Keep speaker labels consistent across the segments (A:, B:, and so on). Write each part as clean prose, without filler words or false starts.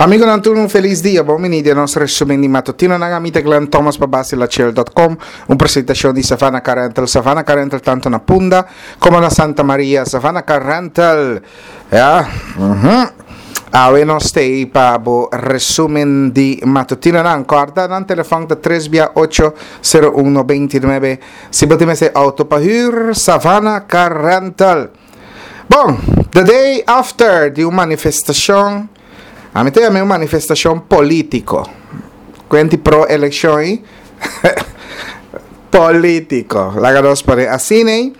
A: Amigonan tur un felis dia, bon bini den nos resumen di matutinonan. Ami ta Glenn Thomas pa Basilachel.com, un presentacion di Savannah Car Rental. Savannah Car Rental tanto na Punda como na Santa Maria. Savannah Car Rental, ya, mhm. Awe nos t'ei pa bo resumen di matutinonan. Corda nan telefon ta 3 bia 8 01 99. Si bo tin mester auto pa huur, Savannah Car Rental. Bon, the day after di un manifestacion, ami ta yama un manifestacion politico. Cuenti pro eleccion ei? Politico. Laga nos pone asina ei.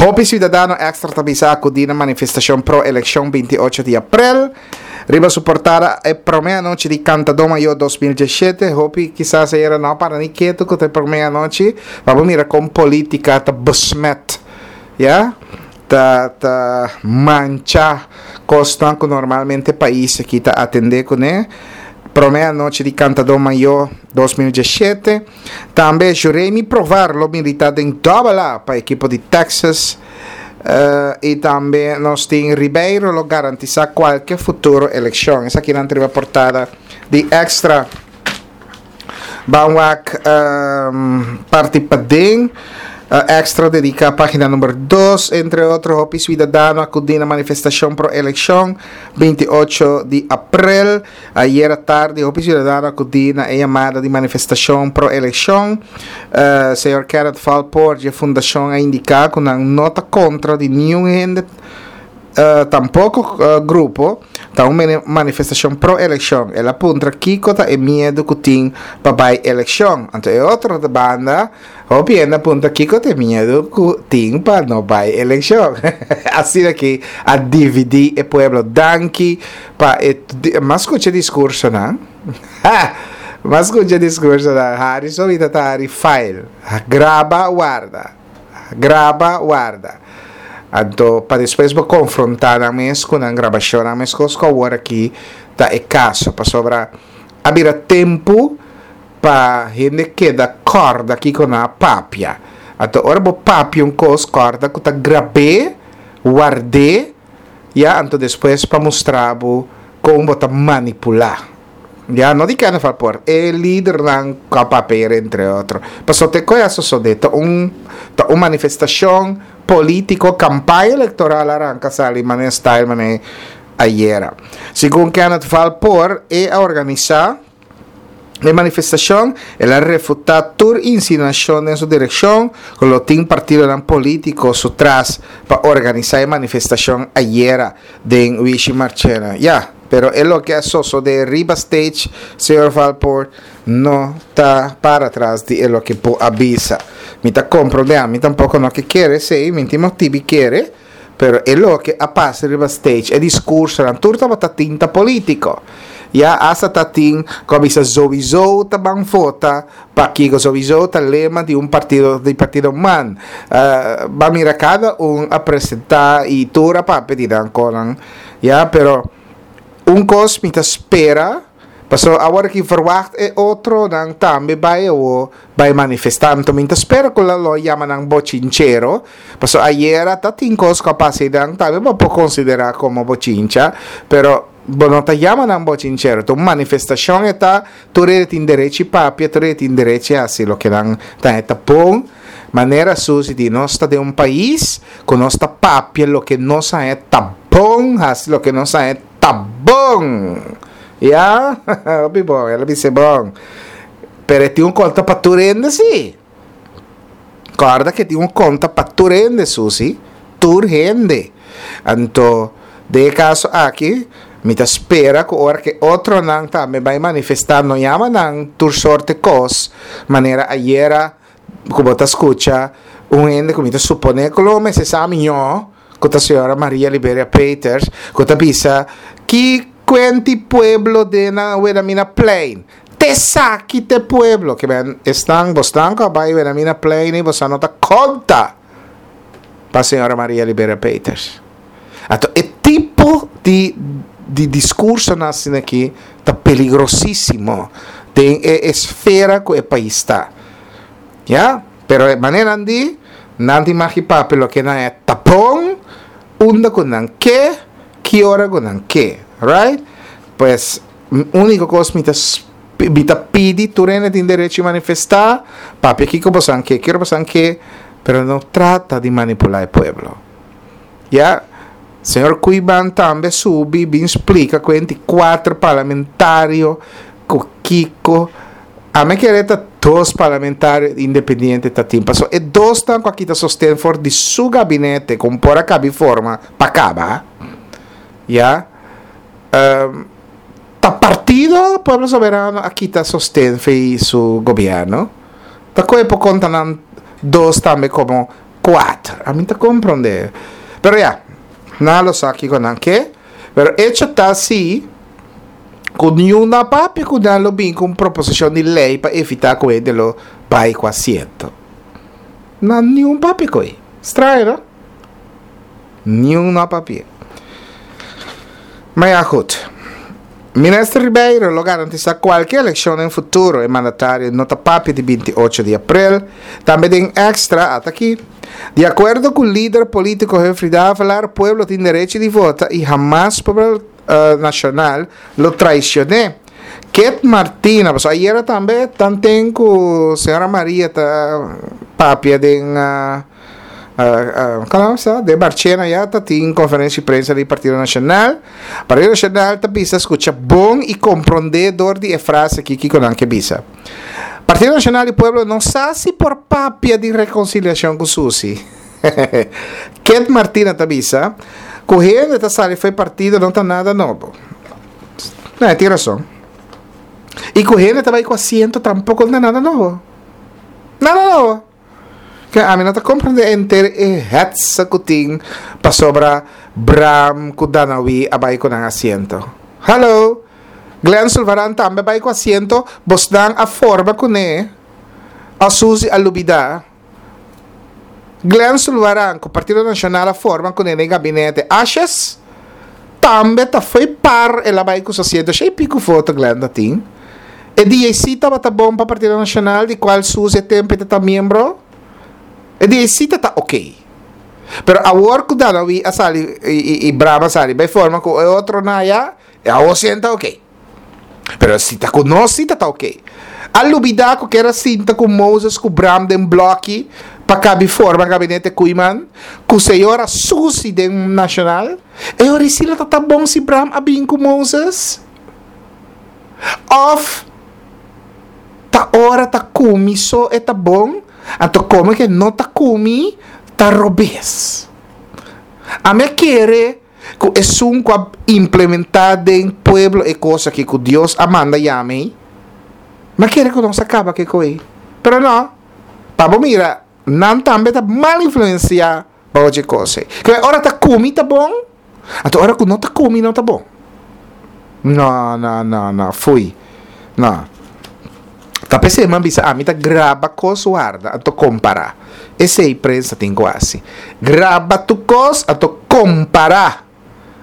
A: Hopi ciudadano extra ta bisa acudi na manifestacion pro eleccion 28 di april. Riba su portada e prome anochi di Cantadó Mayor 2017. Hopi kisas ayera no a para ni ketu cu ta e prome anochi. Pa bo mira con politica ta besmet. Ya, ta ta mancha kosnan ku normalmente pais aki ta atendé kuné. Promé anochi di Kantadó Mayó 2017. Tambe Juremi Provar lo militá den Dòbel A pa ekipo di Texas. I tambe nos tin Ribeiro lo garantisá kualke futuro elekshon. Esakinan ta riba portada di Extra. Ban wak parti paden. Extra dedica pagina number 2. Entre otro hopi ciudadano acudi na manifestacion pro eleccion 28 di april. Ayera tardi hopi ciudadano acudi na e yamada di manifestacion pro eleccion. Uh, señor Kenneth Valpoort di e fundacion a indica cu nan no ta contra di niun hende Tampoco grupo ta un manifestacion pro eleccion. El a puntra kico ta e miedo cu tin pa bay eleccion. Anto e otro banda hopi hende a puntra kico ta e miedo cu tin pa no bay eleccion. Asina ki a dividi e pueblo. Danki pa e m'a scucha discursonan. M'a scucha discursonan. Harry solita ta hari file. Graba warda. Graba, warda. Anto pa despues bo konfrontá nan mes ku nan grabashonnan meskos ku awor aki ta e kaso. Pasobra a bira tempu pa hende keda kòrda kiko nan a papia. Anto ora bo papia un kos kòrda ku ta grab'é, ward'é, ya anto despues pa mustra bo kon bo ta manipulá. Ya no di Kenneth Valpoort, e lidernan ku a papia entre otro. Pasobra te koe a sosodé ta un ta un manifestashon polítiko, kampaña elektoral a ranka sali manera style manera ayera. Segun Kenneth Valpoort e a organisá e manifestashon, el a refutá tur insinuashon den su direkshon ku lo tin partidonan polítiko su tras pa organisá e manifestashon ayera den Wishi Marchena. Ya. Pero e loke a sosode riba stage, señor Valpoort no ta para tras di e loke bo a bisa. Mi ta comprende, ami tampoco no ke kere esey, mi tin motibi kere, pero e loke a pasa riba stage, e discursonan, tur tabata tinta politico. Ya hasta ta tin cu a bisa zowizo ta ban vota pa kico, zowizo ta lema di un partido, di partido man. Ban mira cada un a presenta y tur a papia di nan conan. Ya, pero un kos mi ta spera, pasobra awor aki verwacht e otronan tambe bai awo bai manifestá. Anto mi ta spera ku lo yama nan bochinchero, pasobra ayera ta tin kos ku a pasa einan tambe bo por konsiderá komo bochincha, pero bo no ta yama nan bochinchero. Ta un manifestashon e ta, tur hende tin derechi papia, tur hende tin derechi hasi loke nan ta e ta bon. Manera Susi di, nos ta den un pais ku nos ta papia loke nos haña ta bon, hasi loke nos haña ta bon. Ya, hopi bon, el a bis'é bon. Pero e tin un konta pa tur hende sí. Kòrda ku e tin un konta pa tur hende, Susi, tur hende. Anto, den e kaso aki, mi ta spera ku ora ku e otronan tambe bai manifestá, no yama nan tur sorte kos, manera ayera ku bo ta skucha un hende ku mi ta suponé ku lo mester sa miñó, ku ta señora Maria Liberia Peters, ku ta bisa, Ki kuenti pueblo den nan Wilhelmina Plein? Te esaki t'e pueblo! Ke men esnan, bosnan ku a bai Wilhelmina Plein ei, bosan no ta konta pa señora Maria Liberia Peters. Anto e tipo di di diskursonan asina aki ta peligrosísimo den e esfera ku e pais ta. Ya, pero e maneran di nan tin magi papia loke nan e ta bon, unda ku nan ke, ki ora ku nan ke. Right? Pues. Úniko kos mi ta mi ta pidi tur hende tin derecho di manifestá, papia kiko bosan ke, kiko bosan ke, pero no trata di manipulá e pueblo. Ya, señor Koeiman tambe a subi bin splika ku hende kuater parlamentario ku kiko. Ami kere ta dos parlamentario independiente ta tin, pasobra e dosnan ku a kita sosten for di su gabinete ku por a kabi forma pa kaba, ya. Ta partido Pueblo Soberano a kita sosten fei su gobierno? Ta koe por konta nan dos tambe komo kuater? Ami ta komprondé. Pero ya, nan lo sa kiko nan ke. Pero echo ta si ku niun no a papia ku nan lo bin ku un proposishon di lei pa evitá ku hende lo bai ku asiento. Nan niun papia ku ei. Straño no? Niun no a papia. Ma ya goed. Minister Ribeiro lo garantisa cualke eleccion den futuro, e mandatario no ta papia di 28 di april. Tambe den Extra, ata aki. Di acuerdo cu lider politico Humphrey Davelaar, pueblo tin derecho di vota y hamas pueblo nacional lo traicione. Kit Martina, pasobra ayera tambe tanten cu señora Maria ta papia den. Kono sa? Den Barchena ya ta tin konferensia di prensa di Partido Nashonal. Partido Nashonal ta bisa skucha bon i komprondé dor di e frase aki kiko nan ke bisa. Partido Nashonal di Pueblo no sa si por papia di rekonsiliashon ku Susi. Kent Martina ta bisa ku hende ta sali fo'i partido no ta nada nobo. No, e tin rason. I ku hende ta bai ku asiento tampoko no ta nada nobo. Nada nobo. Ke ami no ta komprendé henter e hetsa ku tin pasobra Bram ku Danawi a bai ku nan asiento. Hallo! Glenn Sulvaran tambe a bai ku asiento, bosnan a forma kuné o Suzy a lubidá? Glenn Sulvaran ku Partido Nashonal a forma kuné den gabinete Asjes tambe ta fo'i par el a bai ku su asiento. Shei piku foto Glenn ta tin. E DAC tabata bon pa Partido Nacional di cual Suzy e tempo e ta miembro. E DAC ta ta ok. Pero awor cu Danawi a sali y, y, y Brahma a sali bay forma cu e otro na ya, e awor si ta ok. Pero si ta cu nos si ta ta ok. A lubida cu kier a sinta cu Moses cu Bram den bloki pa cabi forma gabinete Koeiman, cu señora Suzy den Nacional. E ora si lo ta ta bon si Bram a bin cu Moses? Of ta ora ta kumi so e ta bon, anto komo ke no ta kumi ta robes. Ami a kere ku esun ku a implementá den pueblo e kos aki ku Dios a manda yama ei, mi a kere ku nos a kaba ku e koe. Pero no, pa bo mira, nan tambe ta mal influensiá pa ochi kos ei. Ke ora ta kumi ta bon, Anto ora ku no ta kumi no ta bon. No, no, no, no, fui. No. Ta p'esei mi a bisa ami ta graba kos warda anto kompará. Esei prensa tin ku hasi. Graba tur kos anto kompará.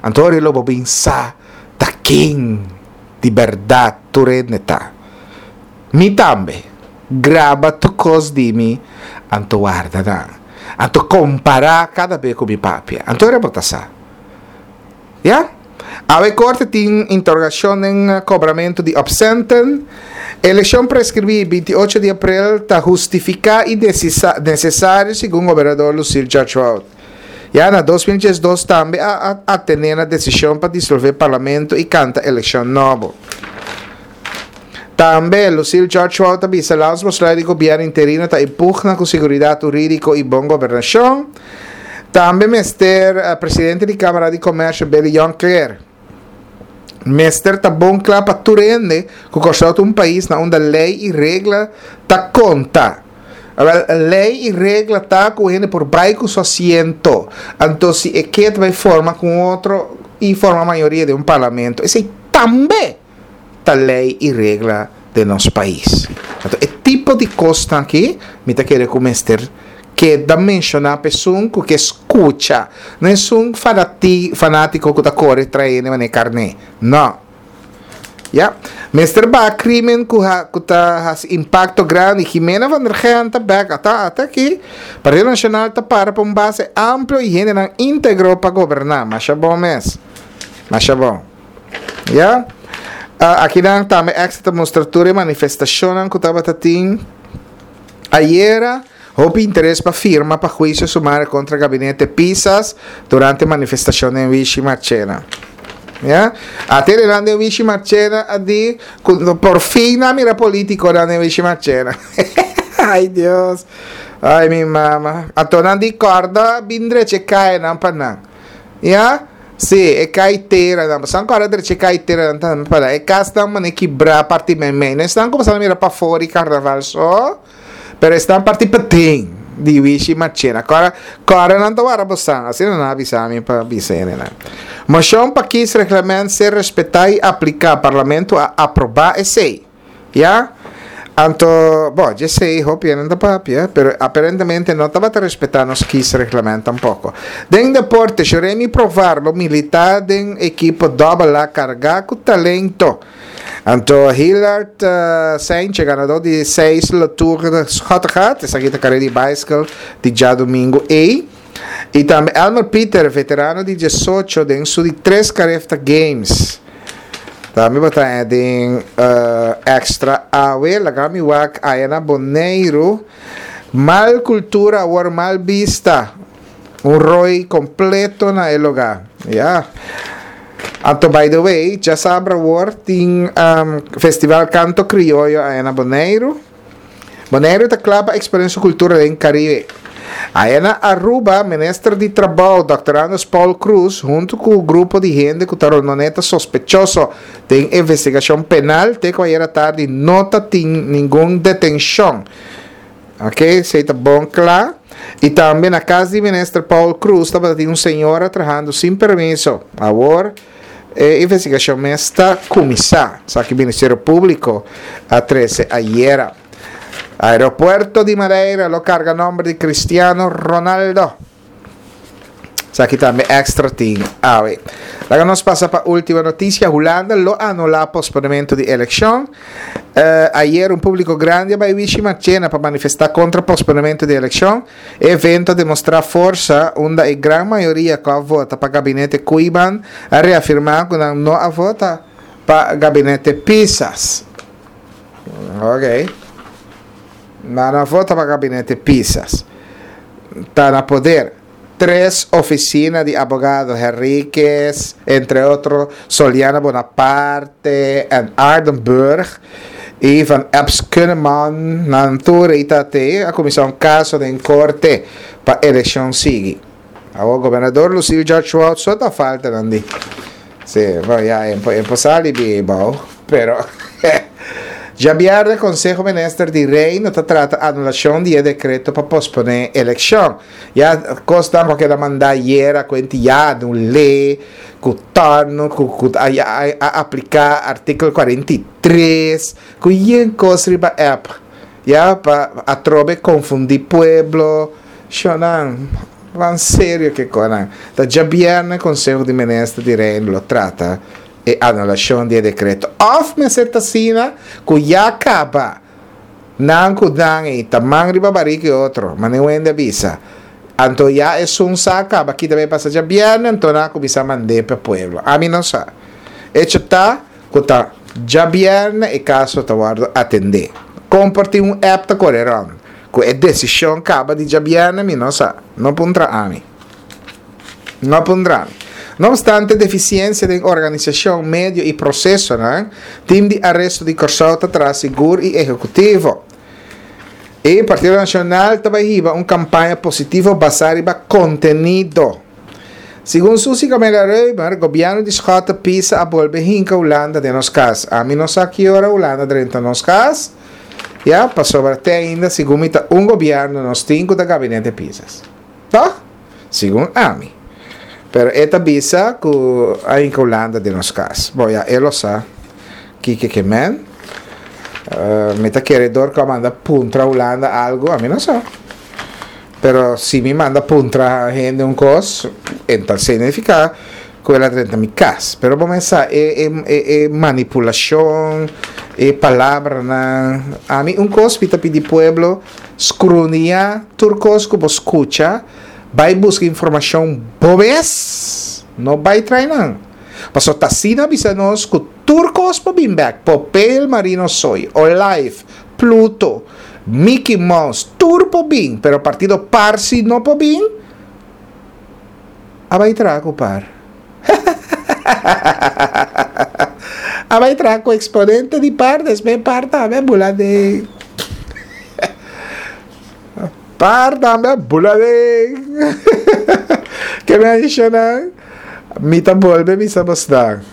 A: Anto ora lo bo bin sa ta ken di bèrdat tur hende ta. Mi tambe. Graba tur kos di mi anto warda nan. Anto kompará kada be ku mi papia. Anto ora bo ta sa. Ya. Awe korte tin interogashon den kobramentu di opsenten. Elekshon preskribí 28 di aprel ta hustifiká i nesesario segun gobernador Lucille George-Wout. Ya na 2012 tambe a atené na desishon pa disolvé parlamento i kanta elekshon nobo. Tambe, Lucille George Wout a bisa landsbesluit di gobierno interino ta e pugna cu seguridad huridico y bon gobernacion. Tambe mester presidente di Camara di Comercio Billy Jonckheer mester ta bon cla pa tur hende cu Corsou ta un pais na unda ley y regla ta conta. Awel, ley y regla ta cu hende por bay cu su asiento. Anto si e ke ta bay forma cu un otro y forma mayoria den un parlamento, esey tambe! ta ley y regla den nos pais. Anto e tipo di cosnan aki mi ta kere cu mester keda menciona pa esun cu ke scucha, no esun fanatico cu ta core trae hende manera carne, no. Ya, mester baha crimen cu cu ta haci impacto grandi. Jimena van der Gent ta bek, ata ata aki. Partido Nacional ta para pa un base amplio y hendenan integro pa goberna. Masha bon mes. Masha bon. Ya. Akinan tambe Extra ta mustra tur e manifestashonnan ku tabata tin ayera. Hopi interes pa firma pa huisio sumario kontra gabinete Pisas durante manifestashon den Wishi Marchena. Ya? Ate renan den Wishi Marchena a di ku por fin nan mira politikonan den Wishi Marchena. Ay Dios. Ay mi mama. Anto nan di kòrda bin drecha e kayanan pa nan. Ya? Sí, e kaiteranan. Pasobra nan kòrda drecha e kaiteranan tambe pa nan. E kasnan mane kibrá parti meimei. No esnan ku boso a mira pafó di karnaval so, pero esnan parti paden di Wishi Marchena. Kòrda, kòrda nan ta wara bosan. Asina nan a bisa mi pa bisa hendenan. Moshon pa kiesreglement ser respetá i apliká. Parlamento a aprobá esei. Ya? Anto, bo, djesei hopi hende ta papia, pero aparentemente no tabata respetá nos kiesreglement tampoco. Den deporte, Juremi Provar lo militá den ekipo Double A kargá ku talento. Anto Hillard Seintje, ganadó di seis Le Tour de Schottegat, esaki ta karera di baiskel di djadumingu ei. I tambe Elmer Pieter, veterano di diesocho den su di tres Carifta Games. Tambe bo ta den extra awe, laga mi wak aya na Boneiru. Mal cultura awor mal bista. Un rooi completo na e lugar. Ya. Anto by the way, djasabra awor tin Festival Canto Crioyo aya na Boneiru. Boneiru ta kla pa eksponé su kultura den Karibe. Aya na Aruba, Minister di Trabou, Dòkter Andres Paul Croes, huntu ku grupo di hende ku ta rondon'é ta sospechoso den investigashon penal, te ku ayera tardi no ta tin ningun detenshon. Ok, esei ta bon kla. I tambe na kas di Minister Paul Croes tabata tin un señora trahando sin permiso. Awor. E investigashon mes ta kuminsá, esaki Ministerio Públiko a trese ayera. Aeropuerto di Madeira lo karga nòmber di Cristiano Ronaldo. Esaki tambe Extra tin awe. Laga nos pasa pa último notisia. Hulanda lo anulá posponementu di elekshon. Ayer un públiko grandi a bai Wishi Marchena pa manifestá kontra posponementu di elekshon. E evento a demostrá forsa unda e gran mayoria ku a vota pa gabinete Koeiman a reafirmá ku nan no a vota pa gabinete Pisas. Ok. Nan a vota pa gabinete Pisas. Ta na poder. Tres ofisina di abogado, Henriquez, entre otro Soliana Bonaparte en Aardenburg y Van Eps Kunneman, nan tur ei ta te a kuminsá un kaso den korte pa elekshon sigui. Awor gobernador Lucille George Wout so ta falta nan di. Sí, bueno, ya e por sali di bou, pero djabièrnè Konseho Minister di Reino ta trata anulashon di e dekreto pa posponé elekshon. Ya kosnan ku a keda mandá ayera ku entiá un lei ku tòrnu ku ku a a apliká artíkulo 43 ku yen kos riba app ya pa atrobe konfundí pueblo shownan ban serio ke konan ta djabièrnè konseho di minister di reino lo trata e anulashon di e dekreto òf mester ta asina ku ya kaba. Nan ku nan ei ta man riba barika e otro, manera un hende a bisa. Anto ya esun sa kaba kita bay pasa djabièrnè, anto nan a kuminsá mand'é pa pueblo. Ami no sa. Echo ta ku ta djabièrnè e kaso ta wòrdu atendé. Kon por tin un app ta kore rònt ku e desishon kaba di djabièrnè mi no sa. No puntra ami. No puntra ami. No obstante defisiensia den organisashon, medio i prosesonan, Tim di Aresto di Kòrsou ta traha sigur i ehekutivo. E Partido Nashonal ta bai hiba un kampaña positivo basá riba kontenido. Segun Suzy Camelia Römer, gobièrnu di Schotte Pisa a bolbe hinka Hulanda den nos kas. Ami no sa ki ora Hulanda drenta nos kas, ya, pasobra te ainda segun mi ta un gobièrnu nos tin ku ta gabinete Pisas. Tòg? Segun ami. Pero e ta bisa ku a hinka Hulanda den nos kas. Bo ya e lo sa kiko ke men. Mi ta kere dor ku a manda puntra Hulanda algu, ami no sa. Pero si mi manda puntra hende un kos, e ta signifiká ku el a drenta mi kas. Pero bo men sa e e e manipulashon, e palabranan. Ami un kos mi ta pidi pueblo skrunia tur kos ku bo skucha. Bai buska informashon bo mes, no bai trai nan. Pasobra ta asina a bisa nos ku Tur kos por bin bek, Popeye Marino Soy, Olive, Pluto, Mickey Mouse, tur por bin, pero partido par si no por bin. A bai traha ku par. A bai traha ku eksponente di par, despues par tambe a bula den. Par tambe a bula den. Ke menshonan? Mi ta bolbe bisa bosnan.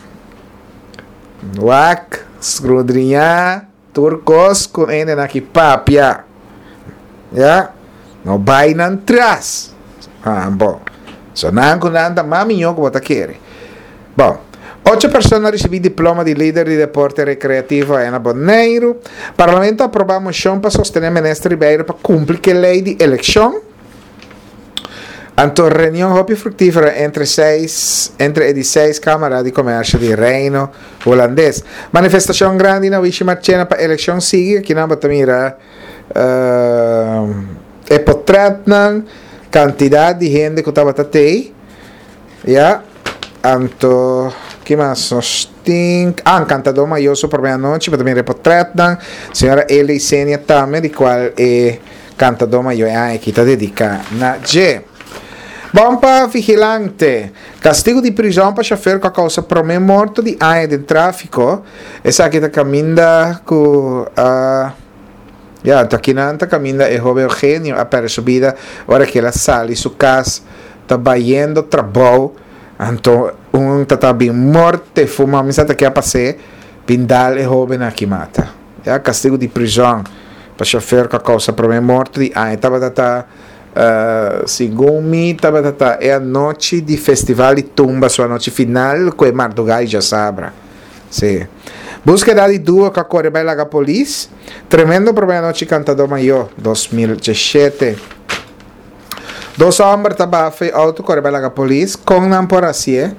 A: Wak, skrudriñá tur kos ku hendenan aki papia. Ya, no bai nan tras. Ah, bon. So nan ku nan ta mas mihó ku bo ta kere. Bon, ocho persona a risibí diploma di lider di deporte rekreativo aya na Boneiru. Parlamento a aprobá moshon pa sostené Minister Ribeiro pa kumpli ku e lei di elekshon. Anto reunion hopi fructífero entre seis entre e di seis Cámara di Comercio di Reino Hulandes. Manifestacion grandi na Wishi Marchena pa eleccion sigui. Aki nan bo ta mira e potretnan, cantidad di hende cu tabata tey. Ya, anto ki mas nos tin? Ah, Cantador Mayor su prome anochi, bo ta mira e potretnan. Señora Eli Senia tambe, di cual e Cantador Mayor e aña aki ta dedica na dje. Bon pa vigilante. Castigo di prizon pa chofer cu a causa prome morto di aña den trafico. Esaki ta caminda cu a ya, anto akinan ta caminda e hoben Eugenio a perde su bida ora cu el a sali su cas ta bayendo trabou. Anto un ta ta bin morte fuma mi sa ta ke a pase bin dal e hoben aki mata. Ya castigo di prison pa chofer cu a causa prome morto di aña tabata ta segun mi tabata ta e anochi di festival di tumba su anochi final cu e marduga y djasabra si Buskeda di duo cu a core bay laga polis tremendo prome anochi cantador mayor 2017 Dos homber ta baha fe auto kore bai laga polis, kon nan por hacié?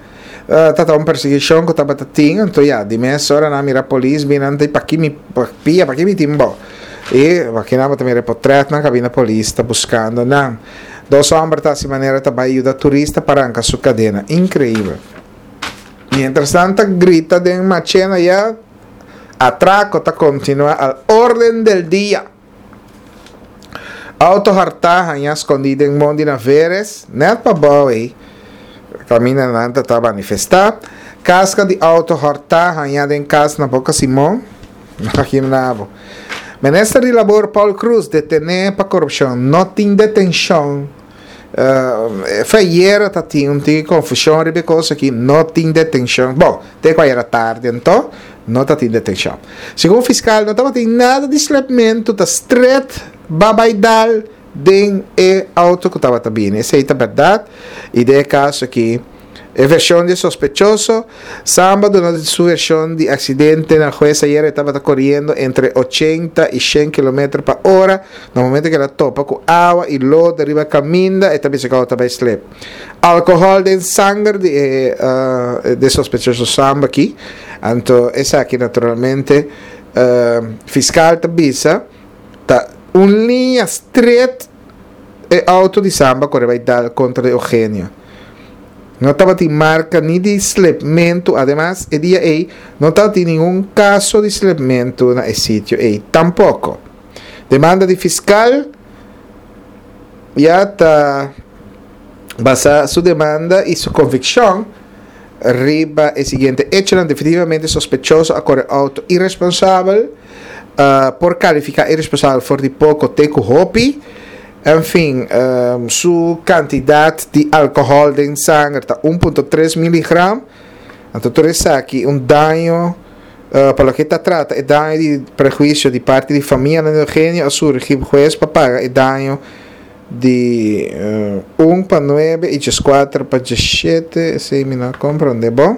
A: Ta ta un persiguishon ku tabata tin, anto ya, di mes ora nan mira polis bin nan ta di paki mi pia, paki mi tin bo? I aki nan bo ta mira e potretnan kabinda polis ta buskando nan. Dos homber ta hasi manera ta bai yuda turista pa ranka su kadena. Inkreibel. Mientras nan ta grita den machena ya, atrako ta kontinua al orden del dia. Auto hartá hañá skondí den mondi na Veres, nèt pa bou ei, kaminda nan ta ta manifestá. Kaska di auto hòrtá hañá den kas na Boka Simon, Imagina bo. Minister di Labor Paul Croes detené pa korupshon. No tin detenshon. Fe ayera ta tin un tiki konfushon riba e kos aki, no tin detenshon. Bon, te ku ayera tardi anto, no ta tin detenshon. Segun fiskal no tabatin nada di slepmentu, ta stret babai dal den e auto ku tabata bini. Esei ta bèrdat i den e kaso aki e vershon di e sospechoso, Samba duna su vershon di aksidente na hues ayera e tabata koriendo entre ochenta i shen kilometer pa ora na momento ku el a topa ku awa i lodo riba kaminda e ta bisa ku auto ta bai slip. Alkohòl den sanger di e di e sospechoso Samba aki anto esaki naturalmente fiskal ta bisa ta un liña stret e auto di Samba kore bai dal kontra di Eugenio. No tabatin marka ni di slepmentu, ademas e dia ei no tabatin ningun kaso di slepmentu na e sitio ei tampoko. Demanda di fiskal ya ta basa su demanda i su konvikshon riba e siguiente echonan, definitivamente sospechoso a kore outo iresponsabel, por kalifiká iresponsabel for di poko te ku hopi, En fin, su kantidat di alkohòl den sanger ta un punto tres miligram. Anto tur esaki un daño, pa loke ta trata e daño di prehuisio di parti di famianan di Eugenio a surgi hues pa paga e daño di un pa nuebe i dieskuater pa diesshete, esei mi no a komprondé bon.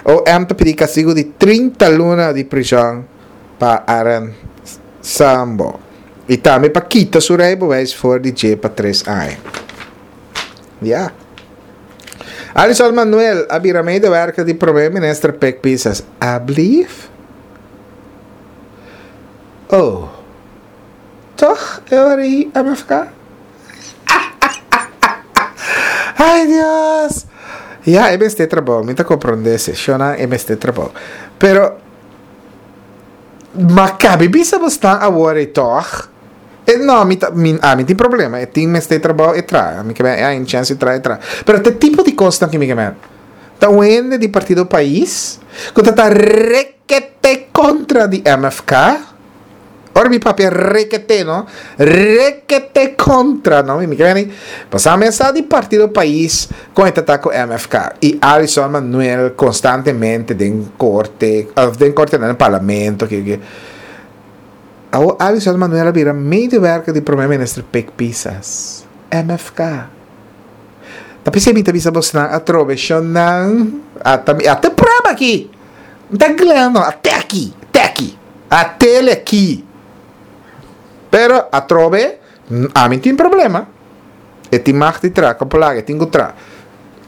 A: OM ta pidi kastigu di trinta luna di prishon pa Aaron Sambo. I tambe pa kita su rijbewijs for di dje pa tres aña. Ya. Alison Manuel a bira medewerker di Prome Minister Pek Pisas. Ablief? Oh. Toch e ora ei a MFK? Ay Dios! Ya, e mester trabou. Mi ta comprende esei. Shona, e mester trabou. Pero ma kabi bisa bosnan awor ei tòg? E no, mi ta, mi, ami tin problema. E tin mester trabou, e traha. Mi ke men, e haña chèns di traha, e traha. Pero ta e tipo di kosnan ku mi ke men. Ta un hende di Partido Pais ku ta ta rekete kontra di MFK. Ora mi papia rekete, no? Rekete kontra, no? Mi ke men, pasá mi a sa di Partido Pais kon e ta ta ku MFK. I Alison Manuel konstantemente den korte, òf den korte no, den parlamento, ke ke. Awor Alison Manuel a bira medewerker di Prome Minister Pik Pisas. MFK. Ta p'esei mi ta bisa bosnan atrobe shonnan ata mi ata prueba aki mi ta gleno ate aki te aki atele aki pero atrobe ami tin problema e tin mag di tra kopo laga e tin ku tra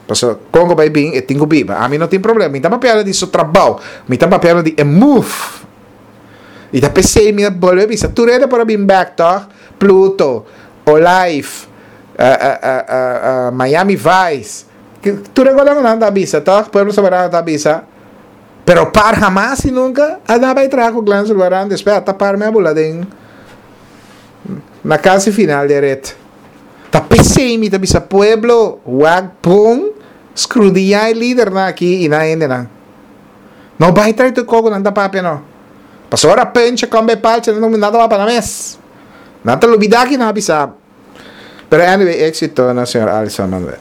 A: pasobra kon ku bai bin e tin ku biba ami no tin problema mi ta papiando di su trabou mi ta papiando di e move i ta p'esei mi a bolbe bisa tur hende por a bin bek tòg Pluto Olive Miami Vice, tur e gonan nan ta bisa toch, Pueblo Soberano ta bisa, pero par hamas y nunca a na bay traha cu Glenn Sulvaran, despues ata par me a bula den na casi final di e ret. Ta pesey mi ta bisa pueblo wak bon scrudiña e lidernan aki y nan hendenan. No bay trae tur coco nan ta papia no. Pasobra ora pencha con bay palcha nan ta wapa nan mes. Nan ta lubida ki nan a bisa. Pero anyway, éxito na señor Alison Manuel.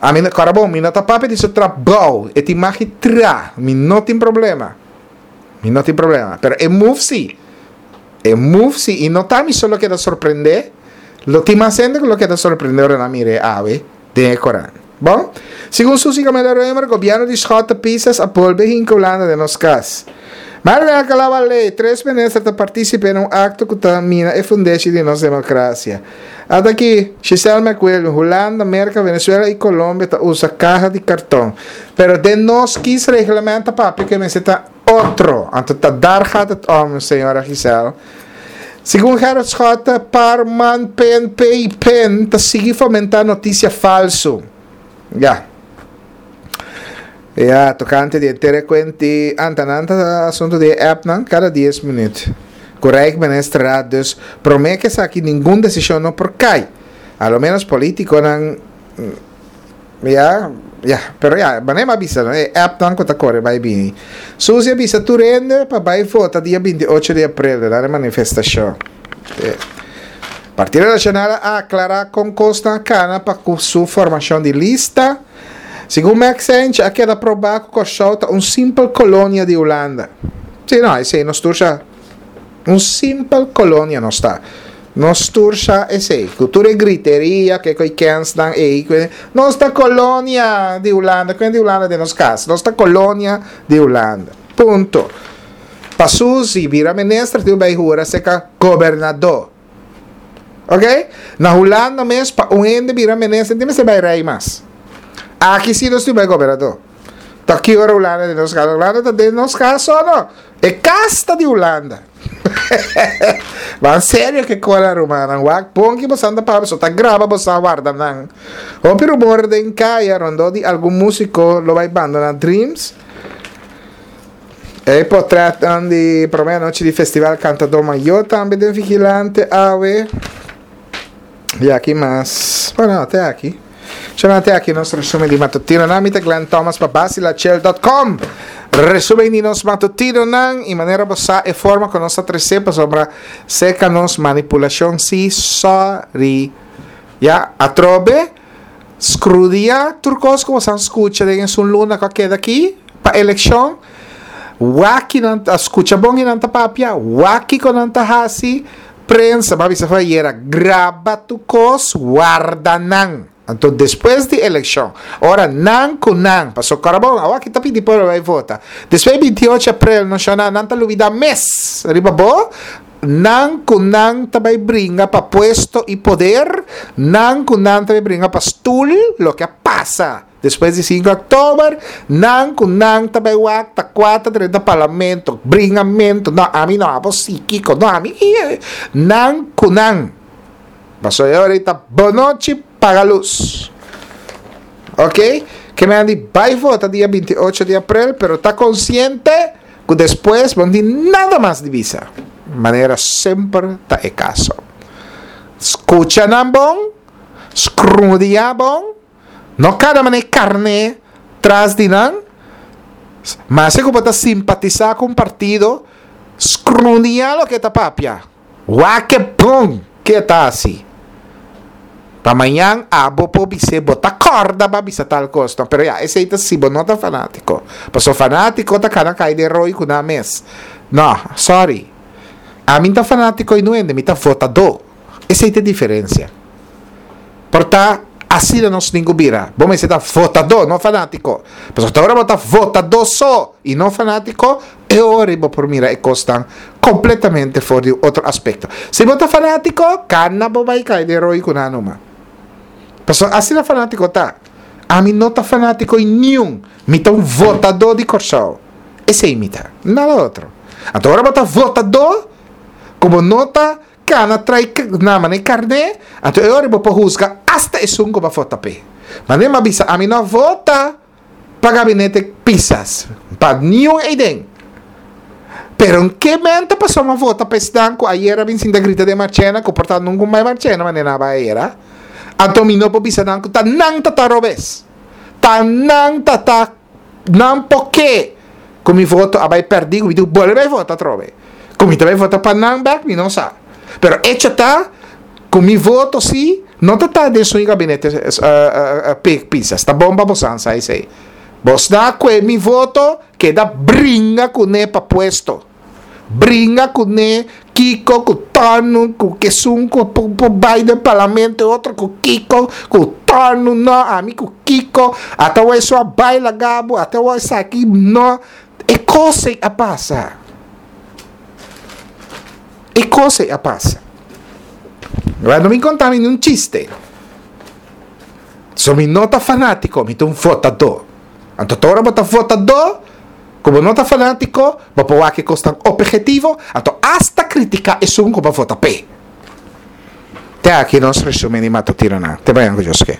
A: A mi, kora bon, mi no ta papia di su trabou. E tin mag di tra. Mi no tin problema. Mi no tin problema. Pero e move si. E move si. I no ta mi solo keda sorprende. Lo tin mas hende ku lo keda sorprende ora nan mira e awe den e koran. Bon? Segun Suzy Camelia Römer, gobièrnu di Schotte Pisas a bolbe hinka Hulanda den nos kas. Marvin Alcalá Wallé, tres minister ta partisipe na un akto ku ta mina e fundeshi di nos demokrasia. Ata aki, Giselle McWilliam, Hulanda, Merka, Venezuela i Colombia ta usa kaha di karton. Pero den nos kiesreglement ta papia ku e mester ta otro. Anto ta daar gaat het om, señora Giselle. Segun Gerrit Schotte, par, man, PNP i pen ta sigui fomentá notisia falsu. Ya. Ya, tokante di e terekwenti, anta nan ta asuntu di e appnan kada dies minüt. Ku Rijksministerraad dus promé ku esaki ningun desishon no por kai. A lo ménos polítikonan Ya, ya, pero ya, manera mi a bisa no, e appnan ku ta kore bai bini. Suzy a bisa tur hende pa bai vota dia 28 di aprel den e manifestashon. Partido Nacional a aklará kon kosnan a kana pa ku su formashon di lista. Segun Max Sench a keda probá ku Kòrsou ta un simpel kolonia di Hulanda. Sí, no, esei nos tur sa. Un simpel kolonia nos ta. Nos tur sa esei. Ku tur e griteria, ke koi kensnan ei, ku nos ta kolonia di Hulanda, kuen di Hulanda den nos kas. Nos ta kolonia di Hulanda. Punto. Pa Suzy bira minister tin bai hura seka gobernadó. Ok? Na Hulanda mes pa un hende bira minister tin mester bai rei mas. Aki si nos tin bai gobernadó. Ta ki ora Hulanda den nos kas? Hulanda ta den nos kas o no? E kas ta di Hulanda. Ma en serio ke kola rumannan. Wak bon ki bosan ta papia so ta graba bosan warda nan. Hopi rumor den kaya rondó di algun músiko lo bai bandona Dreams. E potretnan di promé anochi di Festival Kantadó Mayó tambe den Vigilante awe. I aki mas. Bueno, te aki. Shona te aki nos resumen di matutinonan. Mi ta Glenn Thomas pa basilachel.com. Resumen di nos matutinonan i manera bo sa e forma ku nos ta trese pasobra seka nos manipulashon si sorry. Ya, atrobe skrudia tur kos ku bo san skucha den esun luna ku a keda aki pa elekshon. Wak ki nan ta skucha bon ki nan ta papia, wak kiko nan ta hasi. Prensa, bo a bisa fayera, graba tur kos, warda nan. Anto despues di elekshon, ora nan ku nan, paso Karabon, awor aki ta pidi pueblo bai vota. Despues di 28 aprel no shona, nan ta lubida mes riba bo, nan ku nan ta bai bringa pa puesto i poder, nan ku nan ta bai bringa pa stul, loke a pasa. Despues di sinku oktober, nan ku nan ta bai wak ta kua ta drenta parlamento, bringamento, no ami no, abo si, kiko, no ami, nan ku nan. Pasobra e ora ei ta bonochi paga lus. Ok, ke men a di bai vota dia 28 di aprel, pero ta konsiente. ku despues bo no tin nada mas di bisa. Manera semper ta e kaso. Skucha nan bon, skrudia bon, no kada manera karné tras di nan. Maske ku bo ta simpatisá ku un partido, skrudia loke e ta papia. Wak e bon ke e ta hasi. Pa mañan abo por bis'é bo ta kòrda bo a bisa tal kos. No, pero ya, esei ta si bo no ta fanátiko. Pasobra fanátiko ta kana kai den roi ku nan mes. No, sorry. Ami no ta fanátiko i no hende, mi ta votadó. Esei ta e diferensia. Por ta asina nos tin ku bira. Bo mester ta votadó, no fanátiko. Pasobra te ora bo ta votadó so i no fanátiko, E ora ei bo por mira e kosnan kompletamente for di un otro aspekto. Si bo ta fanátiko, kana bo bai kai den roi ku nan numa. Pasobra asina fanátiko ta. Ami no ta fanátiko i niun. Mi ta un votadó di Kòrsou. Esei mi ta. Nada otro. Anto ora bo ta votadó, ku bo no ta kana trai na manera karné, anto e ora ei bo por husga asta esun ku bo a vota p'e. Manera mi a bisa, ami no a vota. Pa gabinete Pisas, pa niun eiden. Pero en ke menta pasobra mi a vota pa esnan ku ayera a bin sinta grita den Marchena, ku por ta nunka un bai Marchena manera nan a bai ayera, anto mi no por bisa nan ku ta nan ta ta robes. Ta nan ta ta nan por ke ku mi voto a bai pèrdí ku mi tin ku bolbe bai vota atrobe. Ku mi ta bai vota pa nan bèk mi no sa. Pero echo ta ku mi voto si no ta ta den su gabinete Pisas. Ta bon pa bosan sa esei. Bos na kue mi voto keda bringa kuné pa puesto. Bringa kuné kiko ku tònu ku kesun ku por bai den parlamento e otro ku kiko ku tònu no ami ku kiko ata wou esun a bai laga bo ata wou esaki no e kos ei a pasa. E kos ei a pasa. Wèl, no mi konta mi niun chiste. So mi no ta fanátiko, mi ta un votadó. Anto ta ora bo ta votadó, ku bo no ta fanátiko, bo por wak e kosnan ophetivo, anto asta kritiká esun ku bo a vota p'e. Te aki nos resumen di matutinonan. Te mañan ku Dios ke.